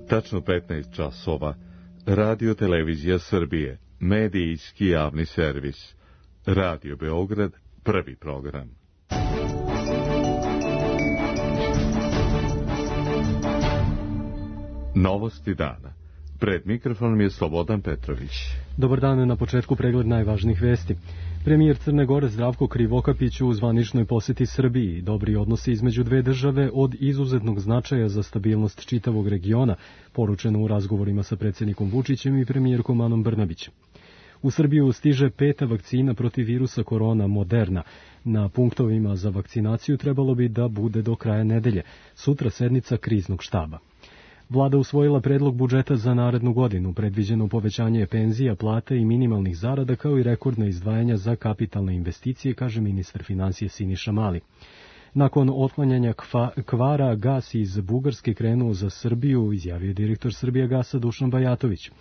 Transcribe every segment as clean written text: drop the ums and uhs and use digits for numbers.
Tačno 15 časova. Radio Televizija Srbije. Medijski javni servis. Radio Beograd. Prvi program. Novosti dana. Pred mikrofonom je Slobodan Petrović. Dobar dan, na početku pregled najvažnijih vesti. Premijer Crne Gore Zdravko Krivokapić u zvaničnoj poseti Srbiji. Dobri odnosi između dve države od izuzetnog značaja za stabilnost čitavog regiona, poručeno u razgovorima sa predsjednikom Vučićem i premijerkom Anom Brnabić. U Srbiju stiže 5. vakcina protiv virusa korona Moderna. Na punktovima za vakcinaciju trebalo bi da bude do kraja nedelje. Sutra sednica kriznog štaba. Vlada usvojila predlog budžeta za narednu godinu, predviđeno povećanje penzija, plata i minimalnih zarada, kao i rekordna izdvajanja za kapitalne investicije, kaže ministar finansija Siniša Mali. Nakon otklanjanja kvara, gas iz Bugarske krenuo za Srbiju, izjavio direktor Srbijagasa Dušan Bajatović.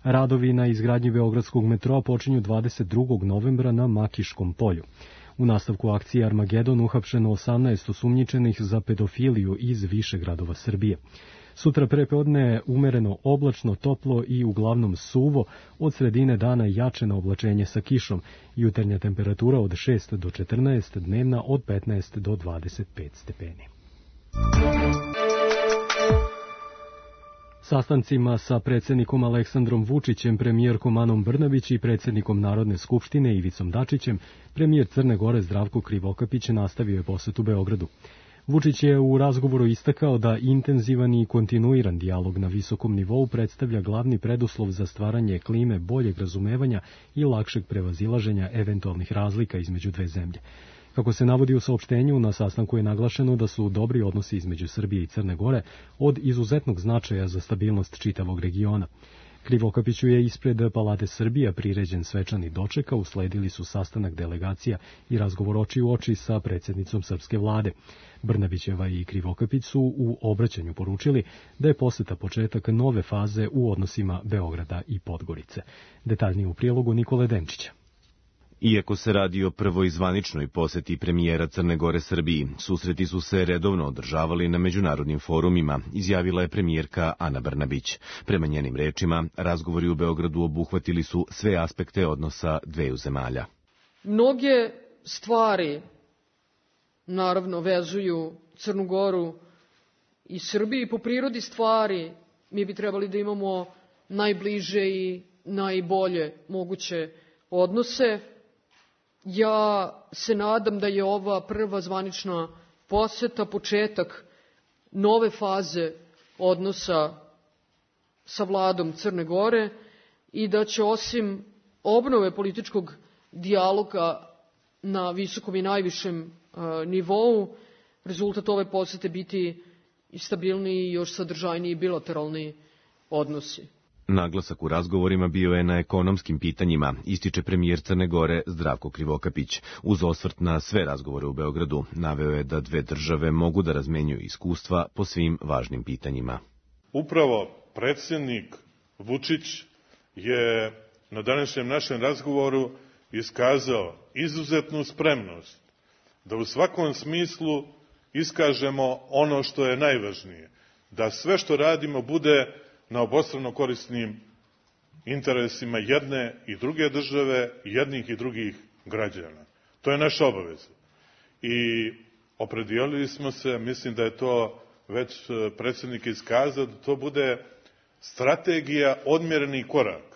Radovi na izgradnji beogradskog metroa počinju 22. novembra na Makiškom polju. U nastavku akcije Armagedon uhapšeno 18 osumnjičenih za pedofiliju iz više gradova Srbije. Sutra prepodne umereno oblačno, toplo i uglavnom suvo, od sredine dana jače na oblačenje sa kišom, jutarnja temperatura od 6 do 14, dnevna od 15 do 25 stepeni. Sastancima sa predsjednikom Aleksandrom Vučićem, premijerkom Anom Brnabić i predsjednikom Narodne skupštine Ivicom Dačićem, premijer Crne Gore Zdravko Krivokapić nastavio je posetu Beogradu. Vučić je u razgovoru istakao da intenzivan i kontinuiran dijalog na visokom nivou predstavlja glavni preduslov za stvaranje klime boljeg razumevanja i lakšeg prevazilaženja eventualnih razlika između dve zemlje. Kako se navodi u saopštenju, na sastanku je naglašeno da su dobri odnosi između Srbije i Crne Gore od izuzetnog značaja za stabilnost čitavog regiona. Krivokapiću je ispred Palate Srbija priređen svečani doček, a usledili su sastanak delegacija i razgovor oči u oči sa predsjednicom srpske vlade. Brnabićeva i Krivokapić su u obraćanju poručili da je poseta početak nove faze u odnosima Beograda i Podgorice. Detaljnije u prilogu Nikole Denčića. Iako se radi o prvoj zvaničnoj poseti premijera Crne Gore Srbiji, susreti su se redovno održavali na međunarodnim forumima, izjavila je premijerka Ana Brnabić. Prema njenim rečima, razgovori u Beogradu obuhvatili su sve aspekte odnosa dveju zemalja. Mnoge stvari, naravno, vezuju Crnu Goru i Srbiju. Po prirodi stvari mi bi trebali da imamo najbliže i najbolje moguće odnose. Ja se nadam da je ova prva zvanična poseta početak nove faze odnosa sa vladom Crne Gore i da će osim obnove političkog dijaloga na visokom i najvišem nivou rezultat ove posete biti i stabilniji i još sadržajniji bilateralni odnosi. Naglasak u razgovorima bio je na ekonomskim pitanjima, ističe premijer Crne Gore Zdravko Krivokapić. Uz osvrt na sve razgovore u Beogradu, naveo je da dve države mogu da razmenjuju iskustva po svim važnim pitanjima. Upravo predsjednik Vučić je na današnjem našem razgovoru iskazao izuzetnu spremnost da u svakom smislu iskažemo ono što je najvažnije, da sve što radimo bude na obostrano korisnim interesima jedne i druge države, jednih i drugih građana. To je naša obaveza. I opredijelili smo se, mislim da je to već predsjednik iskazao, da to bude strategija odmjerenih koraka.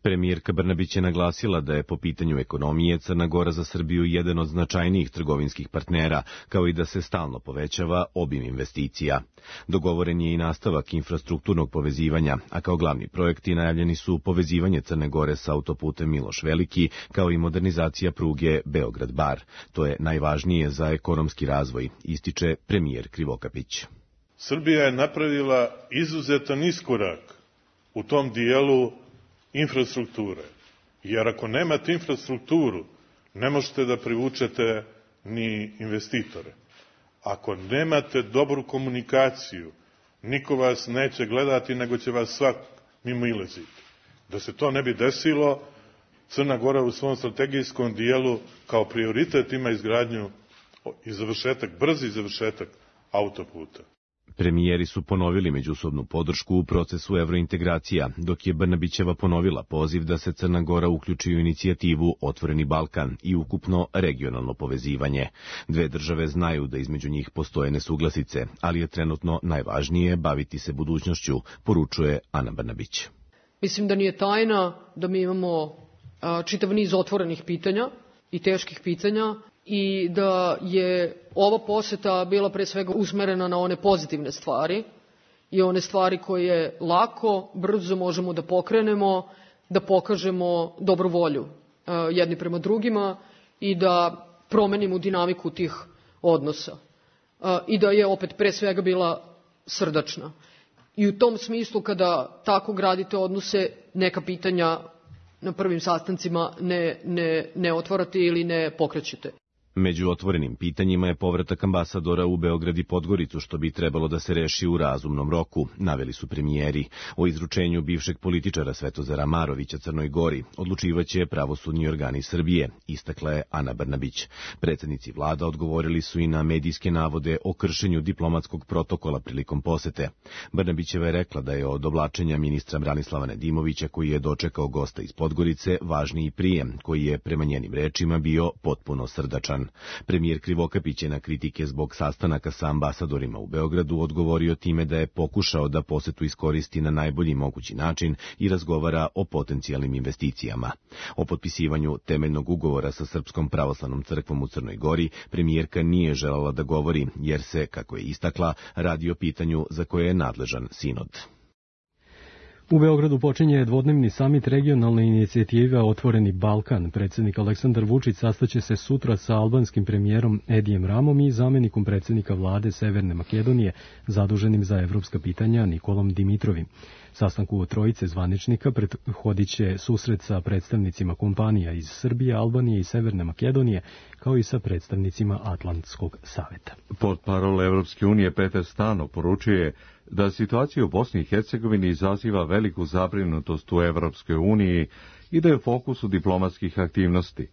Premijerka Brnabić je naglasila da je po pitanju ekonomije Crna Gora za Srbiju jedan od značajnijih trgovinskih partnera, kao i da se stalno povećava obim investicija. Dogovoren je i nastavak infrastrukturnog povezivanja, a kao glavni projekti najavljeni su povezivanje Crne Gore sa autoputem Miloš Veliki, kao i modernizacija pruge Beograd-Bar. To je najvažnije za ekonomski razvoj, ističe premijer Krivokapić. Srbija je napravila izuzetan iskorak u tom dijelu infrastrukture. Jer ako nemate infrastrukturu, ne možete da privučete ni investitore. Ako nemate dobru komunikaciju, niko vas neće gledati, nego će vas svak mimo ilaziti. Da se to ne bi desilo, Crna Gora u svom strategijskom dijelu kao prioritet ima izgradnju i završetak, brzi završetak autoputa. Premijeri su ponovili međusobnu podršku u procesu evrointegracija, dok je Brnabićeva ponovila poziv da se Crna Gora uključi u inicijativu Otvoreni Balkan i ukupno regionalno povezivanje. Dve države znaju da između njih postoje nesuglasice, ali je trenutno najvažnije baviti se budućnošću, poručuje Ana Brnabić. Mislim da nije tajna da mi imamo čitav niz otvorenih pitanja i teških pitanja i da je ova poseta bila pre svega usmerena na one pozitivne stvari i one stvari koje lako, brzo možemo da pokrenemo, da pokažemo dobru volju jedni prema drugima i da promenimo dinamiku tih odnosa. I da je opet pre svega bila srdačna. I u tom smislu kada tako gradite odnose, neka pitanja na prvim sastancima ne otvarate ili ne pokrećete. Među otvorenim pitanjima je povratak ambasadora u Beograd i Podgoricu, što bi trebalo da se reši u razumnom roku, naveli su premijeri. O izručenju bivšeg političara Svetozara Marovića Crnoj Gori odlučivaće pravosudni organi Srbije, istakla je Ana Brnabić. Predsednici vlada odgovorili su i na medijske navode o kršenju diplomatskog protokola prilikom posete. Brnabićeva je rekla da je od oblačenja ministra Branislava Nedimovića, koji je dočekao gosta iz Podgorice, važniji prijem, koji je prema njenim rečima bio potpuno srdačan. Premijer Krivokapić je na kritike zbog sastanaka sa ambasadorima u Beogradu odgovorio time da je pokušao da posetu iskoristi na najbolji mogući način i razgovara o potencijalnim investicijama. O potpisivanju temeljnog ugovora sa Srpskom pravoslavnom crkvom u Crnoj Gori premijerka nije želala da govori, jer se, kako je istakla, radi o pitanju za koje je nadležan sinod. U Beogradu počinje dvodnevni samit regionalne inicijative Otvoreni Balkan. Predsjednik Aleksandar Vučić sastaće se sutra sa albanskim premijerom Edijem Ramom i zamjenikom predsjednika vlade Severne Makedonije, zaduženim za evropska pitanja Nikolom Dimitrovim. Sastanku trojice zvaničnika prethodit će susret sa predstavnicima kompanija iz Srbije, Albanije i Severne Makedonije, kao i sa predstavnicima Atlantskog saveta. Portparol Evropske unije Peter Stano poručuje da situacija u Bosni i Hercegovini izaziva veliku zabrinutost u Evropskoj uniji i da je u fokusu diplomatskih aktivnosti.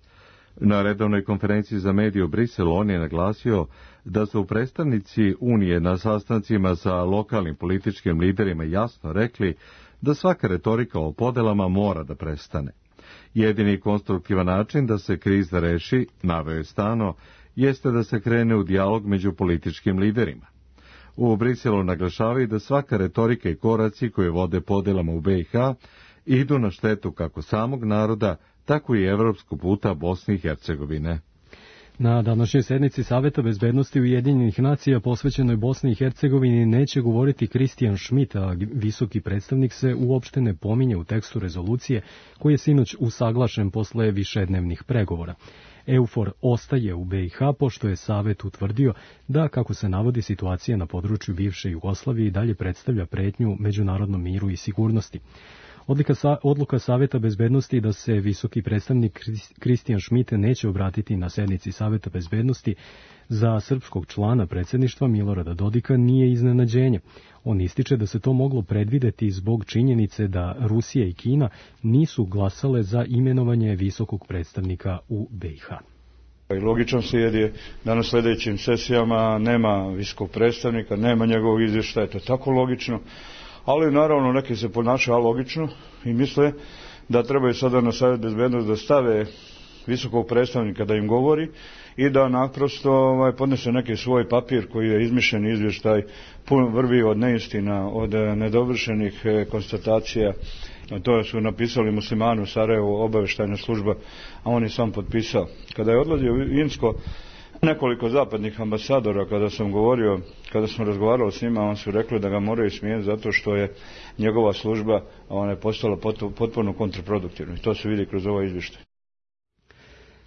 Na redovnoj konferenciji za medije u Briselu on je naglasio da su predstavnici Unije na sastancima sa lokalnim političkim liderima jasno rekli da svaka retorika o podelama mora da prestane. Jedini konstruktivan način da se kriza reši, naveo je Stano, jeste da se krene u dijalog među političkim liderima. U Briselu naglašavaju da svaka retorika i koraci koje vode podelama u BiH idu na štetu kako samog naroda, tako i evropskog puta Bosne i Hercegovine. Na današnjoj sednici Saveta bezbednosti Ujedinjenih nacija posvećenoj Bosni i Hercegovini neće govoriti Christian Schmidt, a visoki predstavnik se uopšte ne pominje u tekstu rezolucije koji je sinoć usaglašen posle višednevnih pregovora. EUFOR ostaje u BiH pošto je Savet utvrdio da, kako se navodi, situacija na području bivše Jugoslavije i dalje predstavlja pretnju međunarodnom miru i sigurnosti. Odluka Saveta bezbednosti da se visoki predstavnik Christian Schmidt neće obratiti na sednici Saveta bezbednosti za srpskog člana predsjedništva Milorada Dodika nije iznenađenje. On ističe da se to moglo predvideti zbog činjenice da Rusija i Kina nisu glasale za imenovanje visokog predstavnika u BiH. Logičan slijed je da na sljedećim sesijama nema visokog predstavnika, nema njegovog izvještaja, to je tako logično. Ali naravno neki se ponašaju alogično i misle da trebaju sada na Savjet bezbednosti da stave visokog predstavnika da im govori i da naprosto podnese neki svoj papir koji je izmišljen izvještaj, pun vrvi od neistina, od nedovršenih konstatacija. To su napisali Muslimani u Sarajevu, obavještajna služba, a on je sam potpisao. Kada je odlazio u Insko, nekoliko zapadnih ambasadora, kada smo razgovarali s njima, on su rekli da ga moraju smijeniti zato što je njegova služba postala potpuno kontraproduktivna. I to se vidi kroz ovaj izvještaj.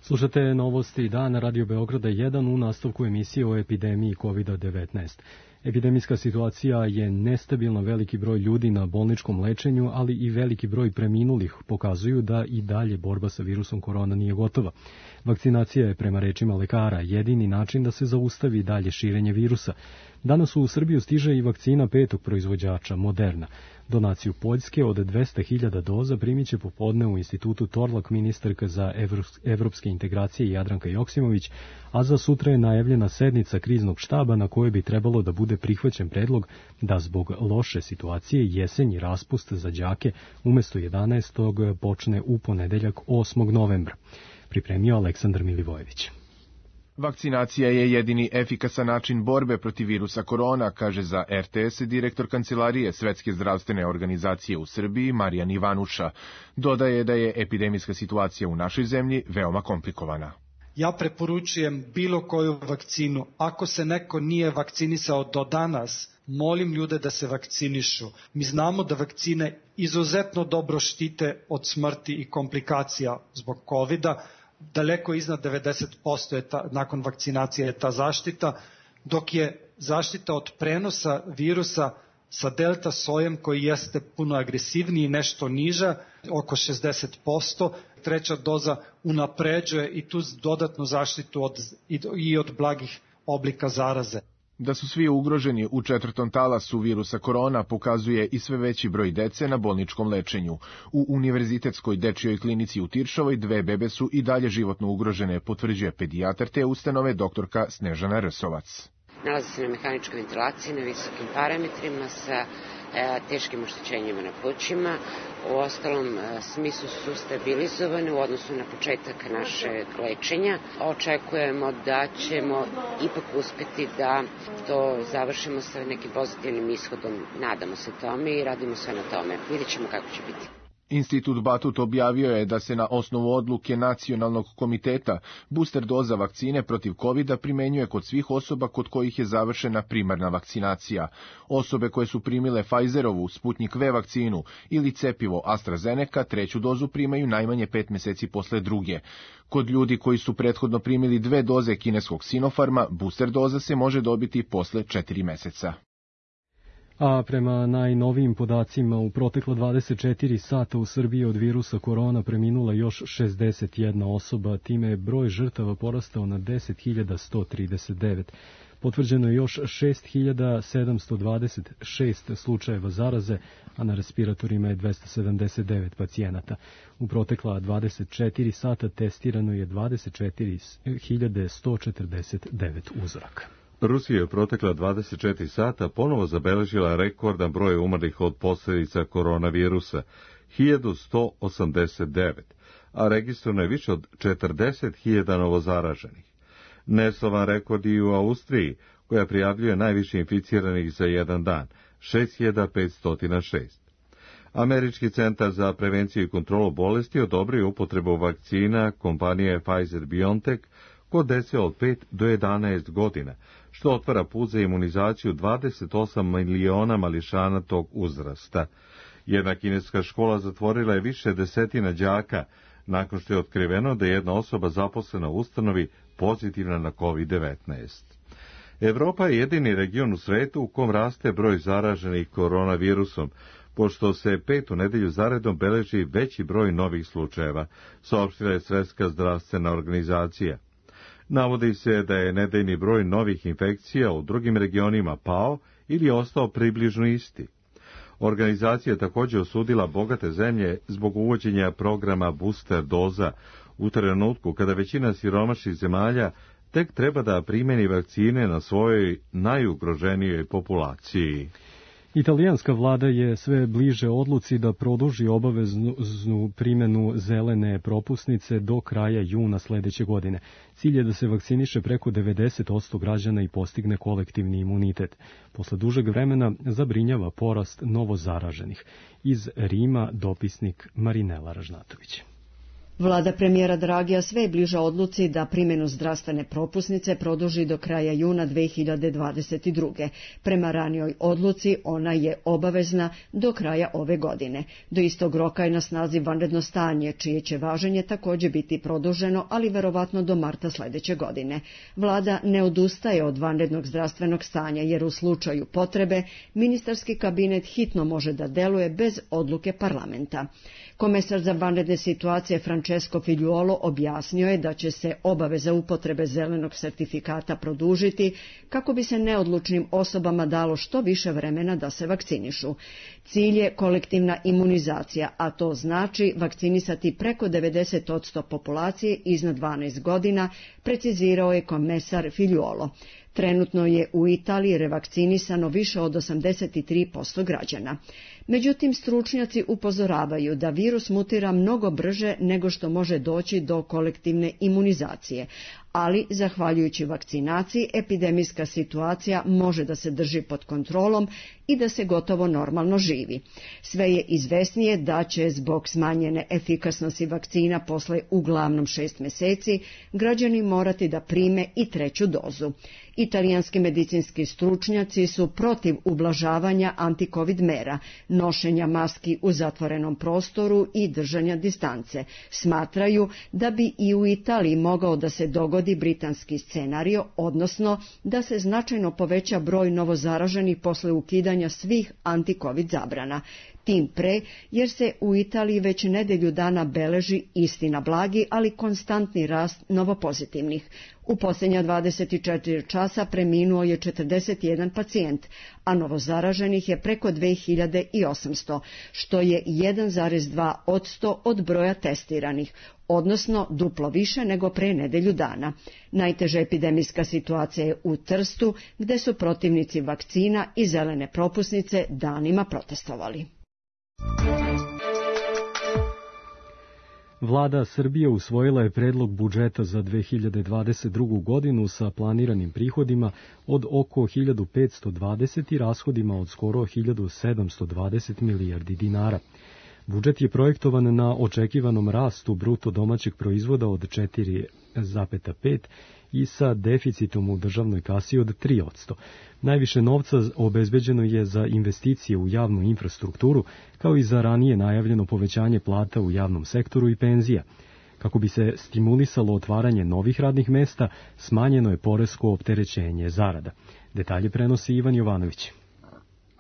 Slušate novosti dana Radio Beograda 1 u nastavku emisije o epidemiji COVID-19. Epidemijska situacija je nestabilna, veliki broj ljudi na bolničkom lečenju, ali i veliki broj preminulih pokazuju da i dalje borba sa virusom korona nije gotova. Vakcinacija je, prema rečima lekara, jedini način da se zaustavi dalje širenje virusa. Danas u Srbiju stiže i vakcina 5. proizvođača, Moderna. Donaciju Poljske od 200.000 doza primit će popodne u institutu Torlak ministarka za evropske integracije Jadranka Joksimović, a za sutra je najavljena sednica kriznog štaba na kojoj bi trebalo da bude prihvaćen predlog da zbog loše situacije jesenji raspust za đake umesto 11. počne u ponedeljak 8. novembra. Pripremio Aleksandar Milivojević. Vakcinacija je jedini efikasan način borbe protiv virusa korona, kaže za RTS direktor Kancelarije Svetske zdravstvene organizacije u Srbiji Marijan Ivanuša. Dodaje da je epidemijska situacija u našoj zemlji veoma komplikovana. Ja preporučujem bilo koju vakcinu. Ako se neko nije vakcinisao do danas, molim ljude da se vakcinišu. Mi znamo da vakcine izuzetno dobro štite od smrti i komplikacija zbog COVID-a. Daleko iznad 90% je nakon vakcinacije je ta zaštita, dok je zaštita od prenosa virusa sa delta sojem koji jeste puno agresivniji, nešto niža, oko 60%. Treća doza unapređuje i tu dodatnu zaštitu od blagih oblika zaraze. Da su svi ugroženi u 4. talasu virusa korona pokazuje i sve veći broj dece na bolničkom lečenju. U Univerzitetskoj dečijoj klinici u Tiršovoj 2 bebe su i dalje životno ugrožene, potvrđuje pedijatar te ustanove doktorka Snežana Rsovac. Nalaze se na mehaničkoj ventilaciji, na visokim parametrima, sa teškim oštećenjima na plućima. U ostalom smislu su stabilizovane u odnosu na početak našeg lečenja. Očekujemo da ćemo ipak uspeti da to završimo sa nekim pozitivnim ishodom. Nadamo se tome i radimo sve na tome. Vidjet ćemo kako će biti. Institut Batut objavio je da se na osnovu odluke Nacionalnog komiteta booster doza vakcine protiv COVID-a primenjuje kod svih osoba kod kojih je završena primarna vakcinacija. Osobe koje su primile Pfizerovu, Sputnik V vakcinu ili cepivo AstraZeneca 3. dozu primaju najmanje 5 meseci posle druge. Kod ljudi koji su prethodno primili 2 doze kineskog Sinopharma, booster doza se može dobiti posle 4 meseca. A prema najnovijim podacima, u proteklo 24 sata u Srbiji od virusa korona preminula još 61 osoba, time je broj žrtava porastao na 10.139. Potvrđeno je još 6.726 slučajeva zaraze, a na respiratorima je 279 pacijenata. U protekla 24 sata testirano je 24.149 uzoraka. Rusija je protekla 24 sata ponovo zabeležila rekordan broj umrlih od posljedica koronavirusa, 1189, a registrovano je više od 40.000 novozaraženih. Neslavan rekord i u Austriji, koja prijavljuje najviše inficiranih za jedan dan, 6.506. Američki centar za prevenciju i kontrolu bolesti odobrio upotrebu vakcina kompanije Pfizer-BioNTech kod dece od 5 do 11 godina, što otvara put za imunizaciju 28 miliona mališana tog uzrasta. Jedna kineska škola zatvorila je više desetina đaka, nakon što je otkriveno da je jedna osoba zaposlena u ustanovi pozitivna na COVID-19. Evropa je jedini region u svetu u kom raste broj zaraženih koronavirusom, pošto se 5. nedelju zaredom beleži veći broj novih slučajeva, saopštila je Svetska zdravstvena organizacija. Navodi se da je nedeljni broj novih infekcija u drugim regionima pao ili ostao približno isti. Organizacija je također osudila bogate zemlje zbog uvođenja programa booster doza u trenutku kada većina siromašnih zemalja tek treba da primjeni vakcine na svojoj najugroženijoj populaciji. Italijanska vlada je sve bliže odluci da produži obaveznu primjenu zelene propusnice do kraja juna sledeće godine. Cilj je da se vakciniše preko 90% građana i postigne kolektivni imunitet. Posle dužeg vremena zabrinjava porast novozaraženih. Iz Rima dopisnik Marinela Ražnatović. Vlada premijera Dragija sve je bliža odluci da primjenu zdravstvene propusnice produži do kraja juna 2022. Prema ranijoj odluci ona je obavezna do kraja ove godine. Do istog roka je na snazi vanredno stanje, čije će važenje također biti produženo, ali verovatno do marta sledeće godine. Vlada ne odustaje od vanrednog zdravstvenog stanja, jer u slučaju potrebe ministarski kabinet hitno može da deluje bez odluke parlamenta. Komesar za vanredne situacije Francesco Francesco Figliuolo objasnio je da će se obaveza upotrebe zelenog sertifikata produžiti kako bi se neodlučnim osobama dalo što više vremena da se vakcinišu. Cilj je kolektivna imunizacija, a to znači vakcinisati preko 90% populacije iznad 12 godina, precizirao je komesar Figliuolo. Trenutno je u Italiji revakcinisano više od 83% građana. Međutim, stručnjaci upozoravaju da virus mutira mnogo brže nego što može doći do kolektivne imunizacije, ali zahvaljujući vakcinaciji epidemijska situacija može da se drži pod kontrolom i da se gotovo normalno živi. Sve je izvesnije da će zbog smanjene efikasnosti vakcina posle uglavnom 6 meseci građani morati da prime i 3. dozu. Italijanski medicinski stručnjaci su protiv ublažavanja antikovid mera, nošenja maski u zatvorenom prostoru i držanja distance. Smatraju da bi i u Italiji mogao da se dogodi britanski scenario, odnosno da se značajno poveća broj novozaraženih posle ukidanja svih antikovid zabrana. Tim pre, jer se u Italiji već nedelju dana beleži istina blagi, ali konstantni rast novopozitivnih. U posljednja 24 časa preminuo je 41 pacijent, a novozaraženih je preko 2800, što je 1,2% od broja testiranih, odnosno duplo više nego pre nedelju dana. Najteža epidemijska situacija je u Trstu, gde su protivnici vakcina i zelene propusnice danima protestovali. Vlada Srbije usvojila je predlog budžeta za 2022. godinu sa planiranim prihodima od oko 1520 i rashodima od skoro 1720 milijardi dinara. Budžet je projektovan na očekivanom rastu bruto domaćeg proizvoda od 4,5 i sa deficitom u državnoj kasi od 3%. Najviše novca obezbeđeno je za investicije u javnu infrastrukturu, kao i za ranije najavljeno povećanje plata u javnom sektoru i penzija. Kako bi se stimulisalo otvaranje novih radnih mesta, smanjeno je poresko opterećenje zarada. Detalje prenosi Ivan Jovanović.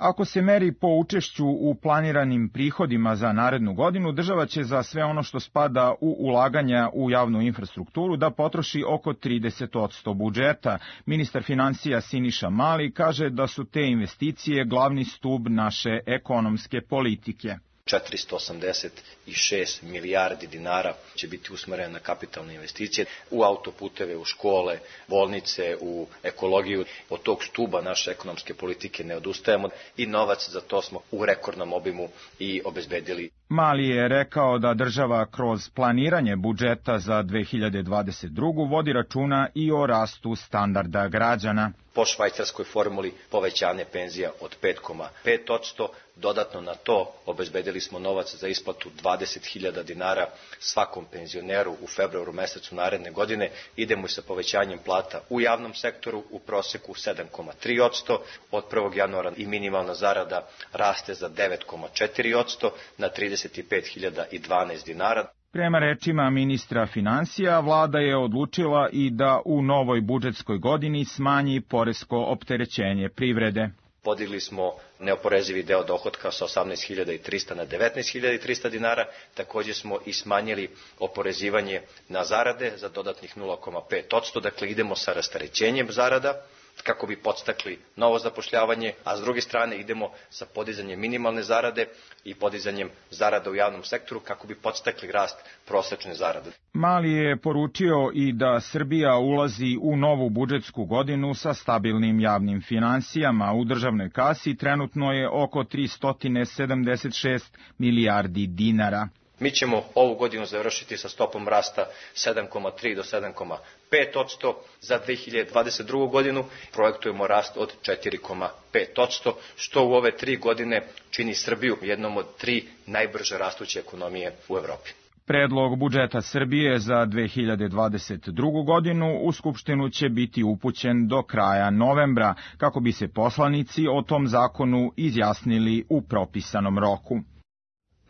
Ako se meri po učešću u planiranim prihodima za narednu godinu, država će za sve ono što spada u ulaganja u javnu infrastrukturu da potroši oko 30% budžeta. Ministar finansija Siniša Mali kaže da su te investicije glavni stub naše ekonomske politike. 486 milijardi dinara će biti usmerene na kapitalne investicije u autoputeve, u škole, bolnice, u ekologiju. Od tog stuba naše ekonomske politike ne odustajemo i novac za to smo u rekordnom obimu i obezbedili. Mali je rekao da država kroz planiranje budžeta za 2022. vodi računa i o rastu standarda građana. Po švajcarskoj formuli povećanje penzija od 5,5%, dodatno na to obezbedili smo novac za isplatu 20.000 dinara svakom penzioneru u februaru mesecu naredne godine. Idemo i sa povećanjem plata u javnom sektoru u proseku 7,3%, od 1. januara i minimalna zarada raste za 9,4% na 35.012 dinara. Prema rečima ministra finansija, vlada je odlučila i da u novoj budžetskoj godini smanji poresko opterećenje privrede. Podigli smo neoporezivi deo dohotka sa 18.300 na 19.300 dinara. Također smo i smanjili oporezivanje na zarade za dodatnih 0,5%. Dakle, idemo sa rasterećenjem zarada kako bi podstakli novo zapošljavanje, a s druge strane idemo sa podizanjem minimalne zarade i podizanjem zarada u javnom sektoru kako bi podstakli rast prosečne zarade. Mali je poručio i da Srbija ulazi u novu budžetsku godinu sa stabilnim javnim finansijama. U državnoj kasi trenutno je oko 376 milijardi dinara. Mi ćemo ovu godinu završiti sa stopom rasta 7,3 do 7,5%. Za 2022. godinu projektujemo rast od 4,5%, što u ove 3 godine čini Srbiju jednom od 3 najbrže rastuće ekonomije u Evropi. Predlog budžeta Srbije za 2022. godinu u Skupštinu će biti upućen do kraja novembra, kako bi se poslanici o tom zakonu izjasnili u propisanom roku.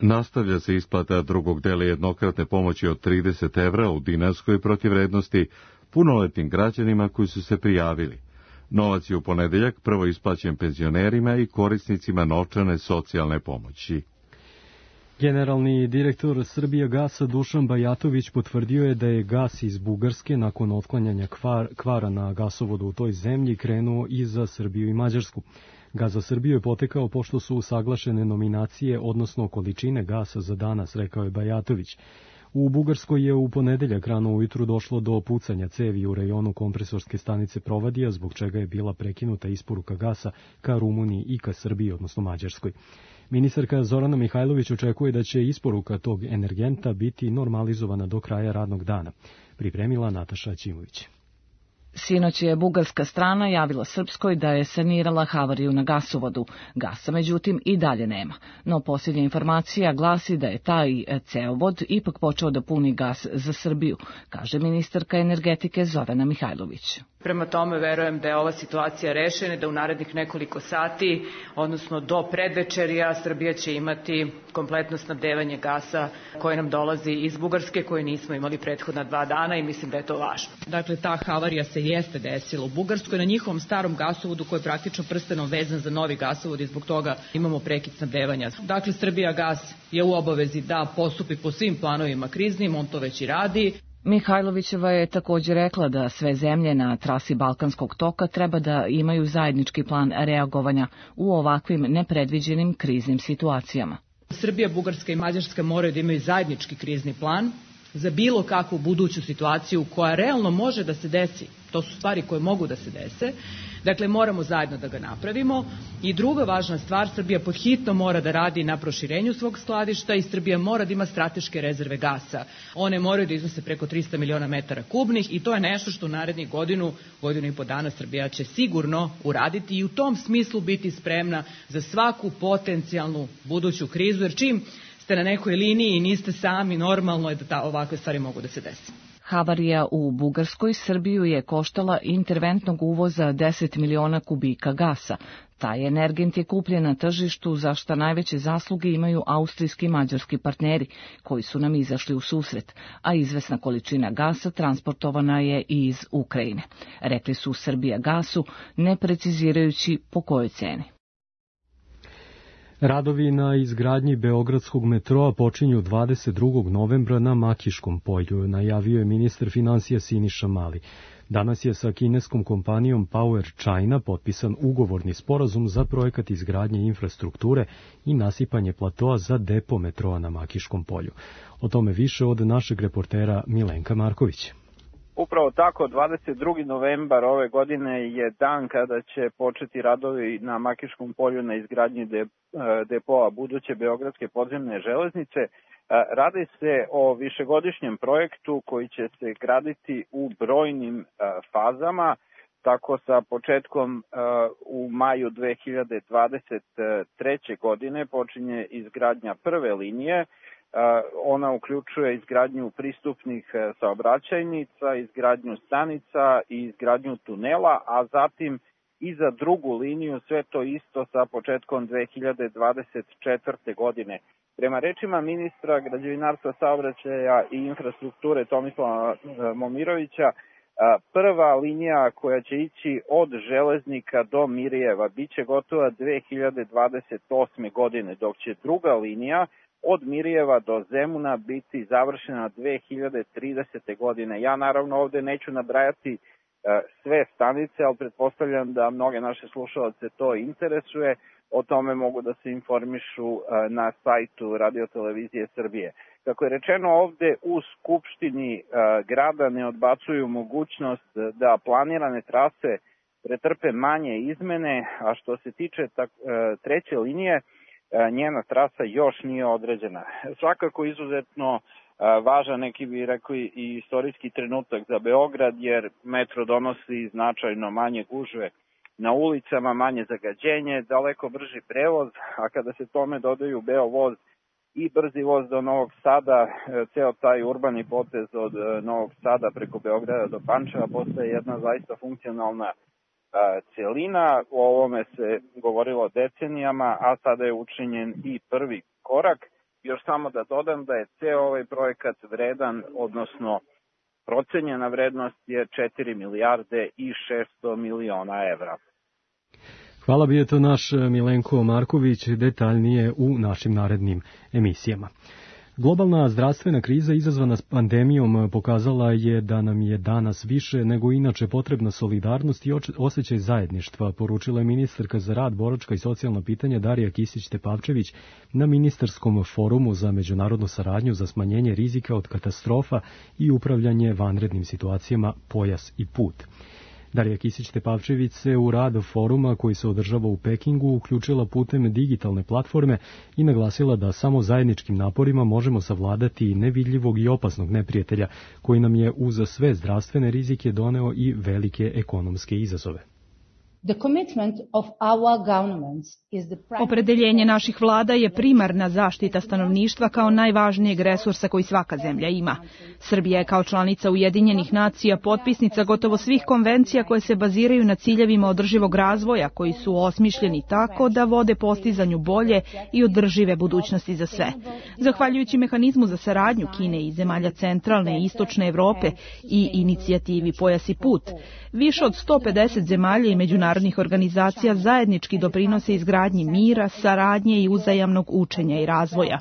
Nastavlja se isplata drugog dela jednokratne pomoći od 30 evra u dinarskoj protivvrednosti punoletnim građanima koji su se prijavili. Novac je u ponedeljak prvo isplaćen penzionerima i korisnicima novčane socijalne pomoći. Generalni direktor Srbijagasa Dušan Bajatović potvrdio je da je gas iz Bugarske nakon otklanjanja kvara na gasovodu u toj zemlji krenuo i za Srbiju i Mađarsku. Gas za Srbiju je potekao pošto su usaglašene nominacije, odnosno količine gasa za danas, rekao je Bajatović. U Bugarskoj je u ponedeljak rano ujutru došlo do pucanja cevi u rejonu kompresorske stanice Provadija, zbog čega je bila prekinuta isporuka gasa ka Rumuniji i ka Srbiji, odnosno Mađarskoj. Ministarka Zorana Mihajlović očekuje da će isporuka tog energenta biti normalizovana do kraja radnog dana, pripremila Nataša Ćimović. Sinoć je bugarska strana javila Srpskoj da je sanirala havariju na gasovodu. Gasa, međutim, i dalje nema. No posljednja informacija glasi da je taj ceovod ipak počeo da puni gas za Srbiju, kaže ministarka energetike Zorana Mihajlović. Prema tome, verujem da je ova situacija rešena, da u narednih nekoliko sati, odnosno do predvečerja, Srbija će imati kompletno snabdevanje gasa koje nam dolazi iz Bugarske, koje nismo imali prethodna 2 dana i mislim da je to važno. Dakle, ta havarija se jeste desila u Bugarskoj na njihovom starom gasovodu koji je praktično prstenom vezan za novi gasovod i zbog toga imamo prekid snabdevanja. Dakle, Srbijagas je u obavezi da postupi po svim planovima kriznim, on to već i radi. Mihajlovićeva je također rekla da sve zemlje na trasi Balkanskog toka treba da imaju zajednički plan reagovanja u ovakvim nepredviđenim kriznim situacijama. Srbija, Bugarska i Mađarska moraju da imaju zajednički krizni plan za bilo kakvu buduću situaciju koja realno može da se desi. To su stvari koje mogu da se dese. Dakle, moramo zajedno da ga napravimo. I druga važna stvar, Srbija podhitno mora da radi na proširenju svog skladišta i Srbija mora da ima strateške rezerve gasa. One moraju da iznose preko 300 miliona metara kubnih i to je nešto što u narednih godinu i po dana Srbija će sigurno uraditi i u tom smislu biti spremna za svaku potencijalnu buduću krizu, jer čim ste na nekoj liniji i niste sami, normalno je da ovakve stvari mogu da se desi. Havarija u Bugarskoj Srbiju je koštala interventnog uvoza 10 miliona kubika gasa. Taj energent je kupljen na tržištu, za šta najveće zasluge imaju austrijski i mađarski partneri, koji su nam izašli u susret, a izvesna količina gasa transportovana je i iz Ukrajine. Rekli su Srbijagasu, ne precizirajući po kojoj ceni. Radovi na izgradnji Beogradskog metroa počinju 22. novembra na Makiškom polju, najavio je ministar finansija Siniša Mali. Danas je sa kineskom kompanijom Power China potpisan ugovorni sporazum za projekat izgradnje infrastrukture i nasipanje platoa za depo metroa na Makiškom polju. O tome više od našeg reportera Milenka Marković. Upravo tako, 22. novembar ove godine je dan kada će početi radovi na Makiškom polju na izgradnji depoa buduće Beogradske podzemne železnice. Radi se o višegodišnjem projektu koji će se graditi u brojnim fazama, tako sa početkom u maju 2023. godine počinje izgradnja prve linije. Ona uključuje izgradnju pristupnih saobraćajnica, izgradnju stanica i izgradnju tunela, a zatim i za drugu liniju sve to isto sa početkom 2024. godine. Prema rečima ministra građevinarstva, saobraćaja i infrastrukture Tomislava Momirovića, prva linija koja će ići od Železnika do Mirijeva biće gotova 2028. godine, dok će druga linija od Mirijeva do Zemuna biti završena 2030. godine. Ja naravno ovde neću nabrajati sve stanice, ali pretpostavljam da mnoge naše slušalce to interesuje. O tome mogu da se informišu na sajtu Radio-televizije Srbije. Kako je rečeno ovde, u Skupštini grada ne odbacuju mogućnost da planirane trase pretrpe manje izmene, a što se tiče treće linije, njena trasa još nije određena. Svakako izuzetno važan, neki bi rekli i istorijski trenutak za Beograd, jer metro donosi značajno manje gužve na ulicama, manje zagađenje, daleko brži prevoz, a kada se tome dodaju Beovoz i brzi voz do Novog Sada, ceo taj urbani potez od Novog Sada preko Beograda do Pančeva postaje jedna zaista funkcionalna celina. O ovome se govorilo decenijama, a sada je učinjen i prvi korak. Još samo da dodam da je ceo ovaj projekat vredan, odnosno procenjena vrednost je 4 milijarde i 600 miliona evra. Hvala, bio je to naš Milenko Marković, detaljnije u našim narednim emisijama. Globalna zdravstvena kriza izazvana s pandemijom pokazala je da nam je danas više nego inače potrebna solidarnost i osjećaj zajedništva, poručila je ministarka za rad, boračka i socijalna pitanja Darija Kisić-Tepavčević na ministarskom forumu za međunarodnu saradnju za smanjenje rizika od katastrofa i upravljanje vanrednim situacijama Pojas i put. Darija Kisić-Tepavčević se u rad foruma koji se održava u Pekingu uključila putem digitalne platforme i naglasila da samo zajedničkim naporima možemo savladati nevidljivog i opasnog neprijatelja koji nam je uz sve zdravstvene rizike doneo i velike ekonomske izazove. Opredeljenje naših vlada je primarna zaštita stanovništva kao najvažnijeg resursa koji svaka zemlja ima. Srbija je kao članica Ujedinjenih nacija potpisnica gotovo svih konvencija koje se baziraju na ciljevima održivog razvoja koji su osmišljeni tako da vode postizanju bolje i održive budućnosti za sve. Zahvaljujući mehanizmu za saradnju Kine i zemalja centralne i istočne Evrope i inicijativi Pojas i put, više od 150 zemalja i međunarodnih organizacija zajednički doprinose izgradnji mira, saradnje i uzajamnog učenja i razvoja.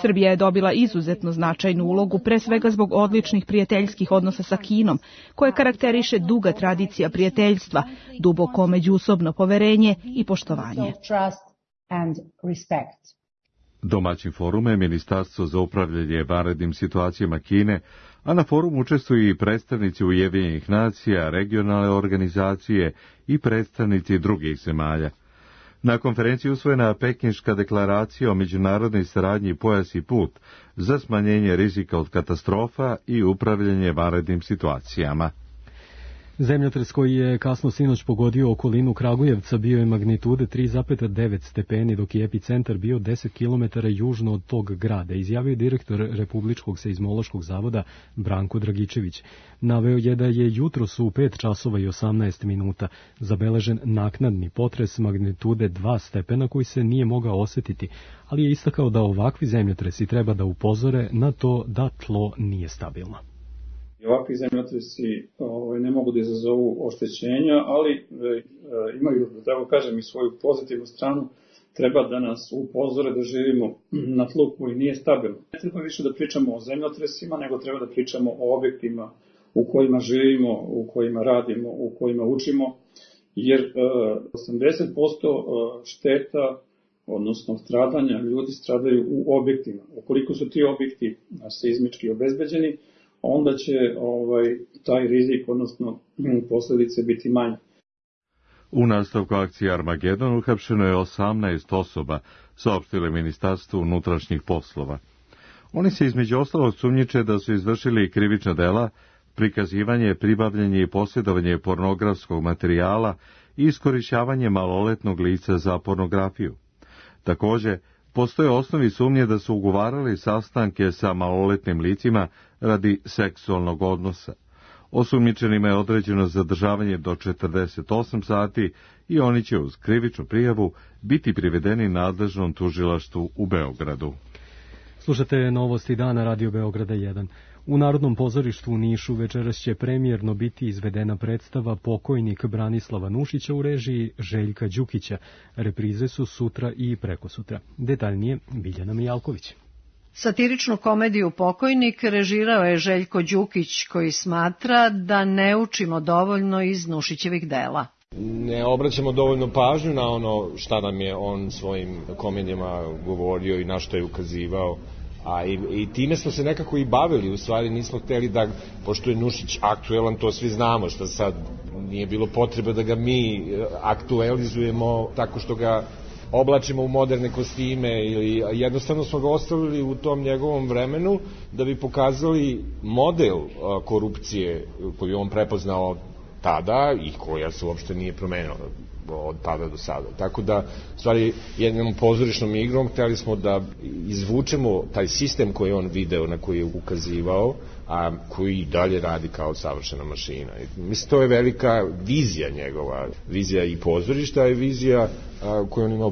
Srbija je dobila izuzetno značajnu ulogu, pre svega zbog odličnih prijateljskih odnosa sa Kinom, koje karakteriše duga tradicija prijateljstva, duboko međusobno poverenje i poštovanje. Domaćin forum je Ministarstvo za upravljanje vanrednim situacijama Kine, a na forumu učestvuju i predstavnici Ujedinjenih nacija, regionalne organizacije i predstavnici drugih zemalja. Na konferenciji usvojena Pekinška deklaracija o međunarodnoj saradnji Pojas i put za smanjenje rizika od katastrofa i upravljanje vanrednim situacijama. Zemljotres koji je kasno sinoć pogodio okolinu Kragujevca bio je magnitude 3,9 stepeni, dok je epicentar bio 10 km južno od tog grada, izjavio direktor Republičkog seizmološkog zavoda Branko Dragičević. Naveo je da je jutros u 5 časova i 18 minuta zabeležen naknadni potres magnitude 2 stepena koji se nije mogao osetiti, ali je istakao da ovakvi zemljotresi treba da upozore na to da tlo nije stabilno. Ovakvi zemljotresi ne mogu da izazovu oštećenja, ali imaju, da tako kažem, i svoju pozitivnu stranu. Treba da nas upozore da živimo na tlu koji nije stabilno. Ne treba više da pričamo o zemljotresima, nego treba da pričamo o objektima u kojima živimo, u kojima radimo, u kojima učimo, jer 80% šteta, odnosno stradanja, ljudi stradaju u objektima. Ukoliko su ti objekti seizmički obezbeđeni, onda će taj rizik, odnosno posledice biti manje. U nastavku akcije Armagedon uhapšeno je 18 osoba, saopštilo Ministarstvo unutrašnjih poslova. Oni se između ostalog sumnjiče da su izvršili krivična dela, prikazivanje, pribavljanje i posjedovanje pornografskog materijala i iskorišćavanje maloletnog lica za pornografiju. Takođe, postoje osnovi sumnje da su ugovarali sastanke sa maloletnim licima radi seksualnog odnosa. Osumnjičenima je određeno zadržavanje do 48 sati i oni će uz krivičnu prijavu biti privedeni nadležnom tužilaštvu u Beogradu. Slušate novosti dana Radio Beograda 1. U Narodnom pozorištu u Nišu večeras će premijerno biti izvedena predstava Pokojnik Branislava Nušića u režiji Željka Đukića. Reprize su sutra i prekosutra. Detaljnije Biljana Mijalković. Satiričnu komediju Pokojnik režirao je Željko Đukić, koji smatra da ne učimo dovoljno iz Nušićevih dela. Ne obraćamo dovoljno pažnju na ono šta nam je on svojim komedijama govorio i na što je ukazivao. I time smo se nekako i bavili, u stvari nismo hteli da, pošto je Nušić aktuelan, to svi znamo, što sad nije bilo potrebe da ga mi aktualizujemo tako što ga oblačimo u moderne kostime, ili jednostavno smo ga ostavili u tom njegovom vremenu da bi pokazali model korupcije koju je on prepoznao tada i koja se uopšte nije promenila od tada do sada. Tako da, u stvari, jednom pozorišnom igrom hteli smo da izvučemo taj sistem koji je on video, na koji je ukazivao, a koji i dalje radi kao savršena mašina. Mislim, to je velika vizija njegova, vizija i pozorišta i vizija koju on imao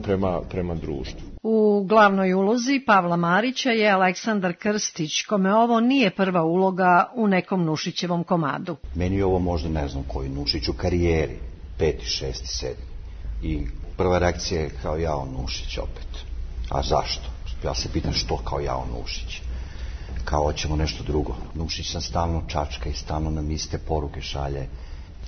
prema društvu. U glavnoj ulozi Pavla Marića je Aleksandar Krstić, kome ovo nije prva uloga u nekom Nušićevom komadu. Meni je ovo možda ne znam koji Nušić u karijeri, 5., 6., 7. I prva reakcija je kao jao Nušić opet. A zašto? Ja se pitam što kao jao Nušić. Kao hoćemo nešto drugo. Nušić sam stalno čačka i stalno nam iste poruke šalje.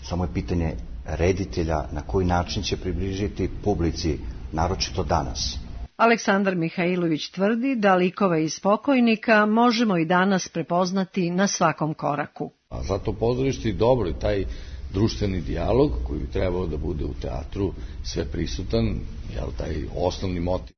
Samo je pitanje reditelja na koji način će približiti publici, naročito danas. Aleksandar Mihajlović tvrdi da likove iz Pokojnika možemo i danas prepoznati na svakom koraku. A zato pozorište je dobro i taj društveni dijalog koji bi trebao da bude u teatru sve prisutan, jel, taj osnovni motiv.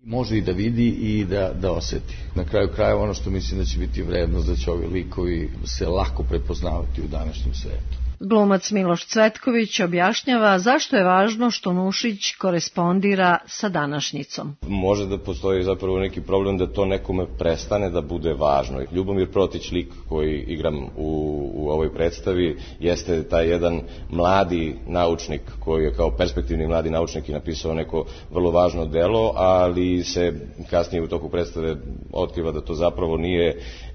Može i da vidi i da oseti. Na kraju krajeva ono što mislim da će biti vrednost, da će ovi likovi se lako prepoznavati u današnjem svetu. Glumac Miloš Cvetković objašnjava zašto je važno što Nušić korespondira sa današnjicom. Može da postoji zapravo neki problem da to nekome prestane da bude važno. Ljubomir Protić, lik koji igram u ovoj predstavi, jeste taj jedan mladi naučnik koji je kao perspektivni mladi naučnik i napisao neko vrlo važno delo, ali se kasnije u toku predstave otkriva da to zapravo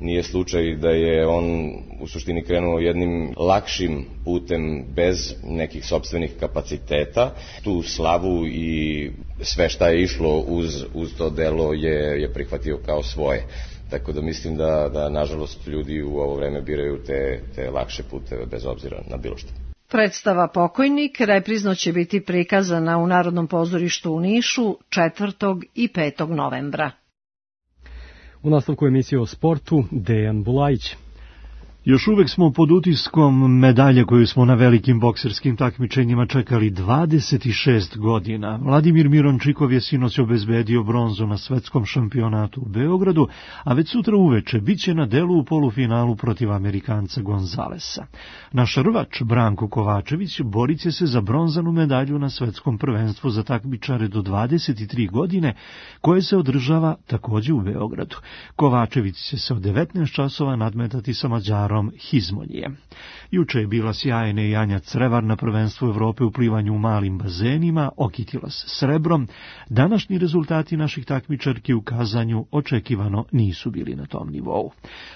nije slučaj, da je on u suštini krenuo jednim lakšim putem bez nekih sopstvenih kapaciteta. Tu slavu i sve šta je išlo uz to delo je prihvatio kao svoje. Tako da mislim da nažalost ljudi u ovo vreme biraju te lakše puteve bez obzira na bilo što. Predstava Pokojnik reprizno će biti prikazana u Narodnom pozorištu u Nišu 4. i 5. novembra. U nastavku emisije o sportu Dejan Bulajić. Još uvek smo pod utiskom medalje koju smo na velikim bokserskim takmičenjima čekali 26 godina. Vladimir Mirončikov je sinoć obezbedio bronzu na svetskom šampionatu u Beogradu, a već sutra uveče biće na delu u polufinalu protiv Amerikanca Gonzalesa. Naš rvač Branko Kovačević borit će se za bronzanu medalju na svetskom prvenstvu za takmičare do 23 godine, koje se održava takođe u Beogradu. Kovačević će se od 19 časova nadmetati sa Mađarom Hizmonije. Juče je bila sjajna i Anja Crevar na prvenstvu Evrope u plivanju u malim bazenima, okitila se srebrom. Današnji rezultati naših takmičarki u kazanju očekivano nisu bili na tom nivou.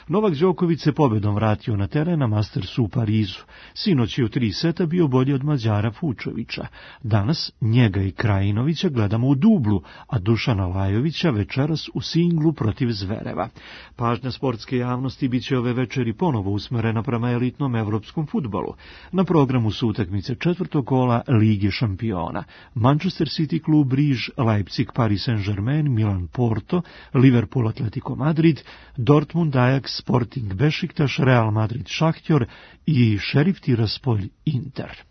Novak Đoković se pobedom vratio na teren na Mastersu u Parizu. Sinoć je u 3 seta bio bolji od Mađara Fučovića. Danas njega i Krajinovića gledamo u dublu, a Dušana Lajovića večeras u singlu protiv Zvereva. Pažnja sportske javnosti biće ove večeri ponovo usmerena prema elitnom evropskom fudbalu. Na programu su utakmice 4. kola Lige šampiona. Manchester City klub Briž, Leipzig Paris Saint-Germain, Milan Porto, Liverpool Atletico Madrid, Dortmund Ajax, Sporting Bešiktaš, Real Madrid Šahtjor i Šerif Tiraspolj Inter.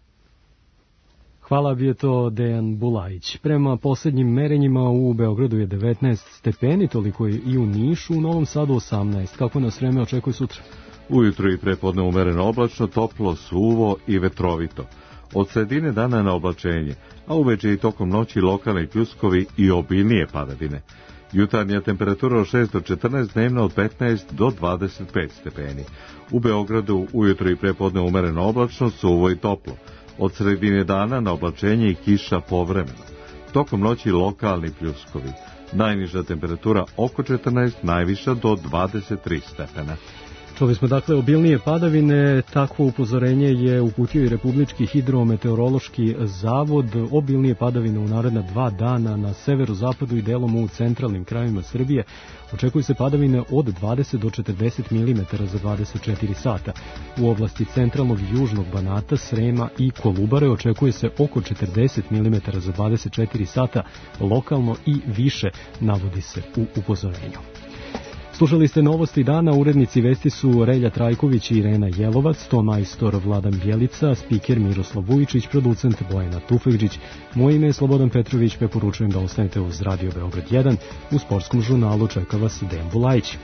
Hvala, bio to Dejan Bulajić. Prema posljednjim merenjima u Beogradu je 19 stepeni, toliko je i u Nišu, u Novom Sadu 18. Kako nas vreme očekuje sutra? Ujutro i prepodne umereno oblačno, toplo, suvo i vetrovito. Od sredine dana na oblačenje, a uveče i tokom noći lokalni pljuskovi i obilnije padavine. Jutarnja temperatura od 6 do 14, dnevna od 15 do 25 stepeni. U Beogradu ujutro i prepodne umereno oblačno, suvo i toplo. Od sredine dana na oblačenje i kiša povremeno. Tokom noći lokalni pljuskovi. Najniža temperatura oko 14, najviša do 23 stepena. Čuli smo dakle obilnije padavine, takvo upozorenje je uputio i Republički hidrometeorološki zavod. Obilnije padavine u naredna 2 dana na severozapadu i delom u centralnim krajevima Srbije. Očekuju se padavine od 20 do 40 mm za 24 sata. U oblasti centralnog i južnog Banata, Srema i Kolubare očekuje se oko 40 mm za 24 sata, lokalno i više, navodi se u upozorenju. Slušali ste novosti dana, urednici vesti su Relja Trajković i Irena Jelovac, ton majstor Vladan Bjelica, spiker Miroslav Vujičić, producent Bojana Tufegđić. Moje ime je Slobodan Petrović, preporučujem da ostanete uz Radio Beograd 1. U sportskom žurnalu čeka vas Dejan Bulajić.